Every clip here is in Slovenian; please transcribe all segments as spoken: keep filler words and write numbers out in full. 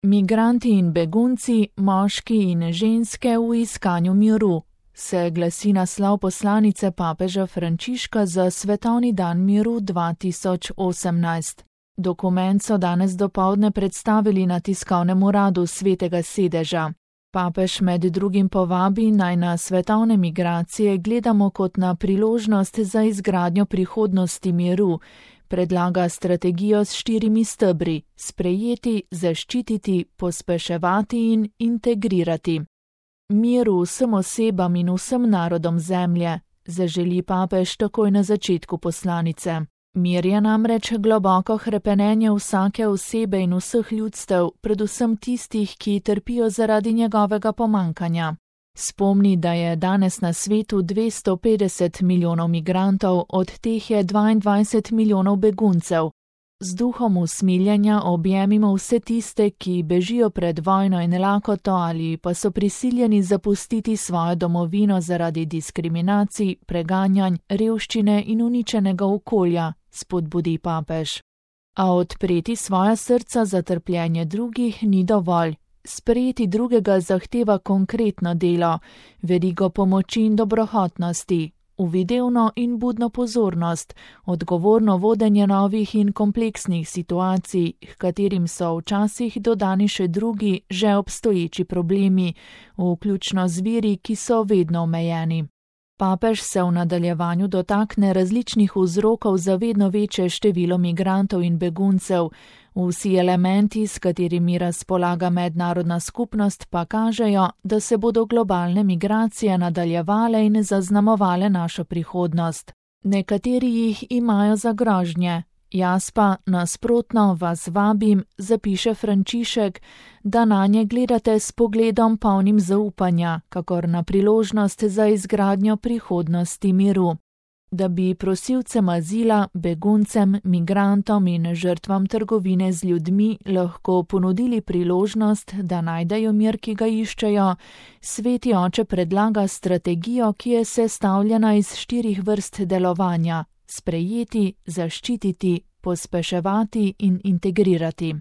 Migranti in begunci, moški in ženske v iskanju miru, se glasi naslov poslanice papeža Frančiška za Svetovni dan miru dva tisoč osemnajst. Dokument so danes dopoldne predstavili na tiskovnem uradu Svetega sedeža. Papež med drugim povabi, naj na svetovne migracije gledamo kot na priložnost za izgradnjo prihodnosti miru. Predlaga strategijo s štirimi stebri: sprejeti, zaščititi, pospeševati in integrirati. Mir vsem osebam in vsem narodom zemlje, zaželi papež takoj na začetku poslanice. Mir je namreč globoko hrepenenje vsake osebe in vseh ljudstev, predvsem tistih, ki trpijo zaradi njegovega pomankanja. Spomni, da je danes na svetu dvesto petdeset milijonov migrantov, od teh je dvaindvajset milijonov beguncev. Z duhom usmiljenja objemimo vse tiste, ki bežijo pred vojno in lakoto ali pa so prisiljeni zapustiti svojo domovino zaradi diskriminacij, preganjanj, revščine in uničenega okolja, spodbudi papež. A odpreti svoja srca za trpljenje drugih ni dovolj. Sprejeti drugega zahteva konkretno delo, verigo pomoči in dobrohotnosti, uvidevno in budno pozornost, odgovorno vodenje novih in kompleksnih situacij, h katerim so včasih dodani še drugi, že obstoječi problemi, vključno z viri, ki so vedno omejeni. Papež se v nadaljevanju dotakne različnih vzrokov za vedno večje število migrantov in beguncev. Vsi elementi, s katerimi razpolaga mednarodna skupnost, pa kažejo, da se bodo globalne migracije nadaljevale in zaznamovale našo prihodnost. Nekateri jih imajo za grožnje. Jaz pa nasprotno vas vabim, zapiše Frančišek, da nanje gledate s pogledom polnim zaupanja, kakor na priložnost za izgradnjo prihodnosti miru. Da bi prosilcem azila, beguncem, migrantom in žrtvam trgovine z ljudmi lahko ponudili priložnost, da najdejo mir, ki ga iščejo, Sveti oče predlaga strategijo, ki je sestavljena iz štirih vrst delovanja: sprejeti, zaščititi, pospeševati in integrirati.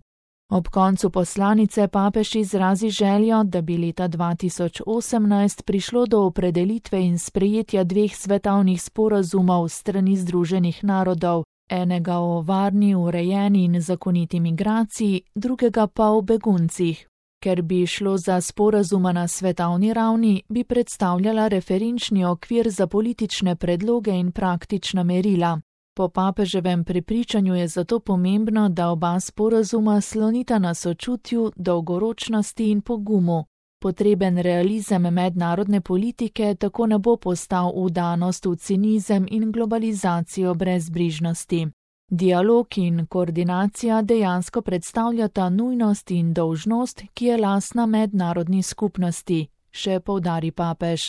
Ob koncu poslanice papež izrazi željo, da bi leta dva tisoč osemnajst prišlo do opredelitve in sprejetja dveh svetovnih sporazumov s strani Združenih narodov, enega o varni, urejeni in zakoniti migraciji, drugega pa o beguncih. Ker bi šlo za sporazuma na svetovni ravni, bi predstavljala referenčni okvir za politične predloge in praktična merila. Po papeževem prepričanju je zato pomembno, da oba sporazuma slonita na sočutju, dolgoročnosti in pogumu. Potreben realizem mednarodne politike tako ne bo postal vdanost v cinizem in globalizacijo brezbrižnosti. Dialog in koordinacija dejansko predstavljata nujnost in dolžnost, ki je lastna mednarodni skupnosti, še poudari papež.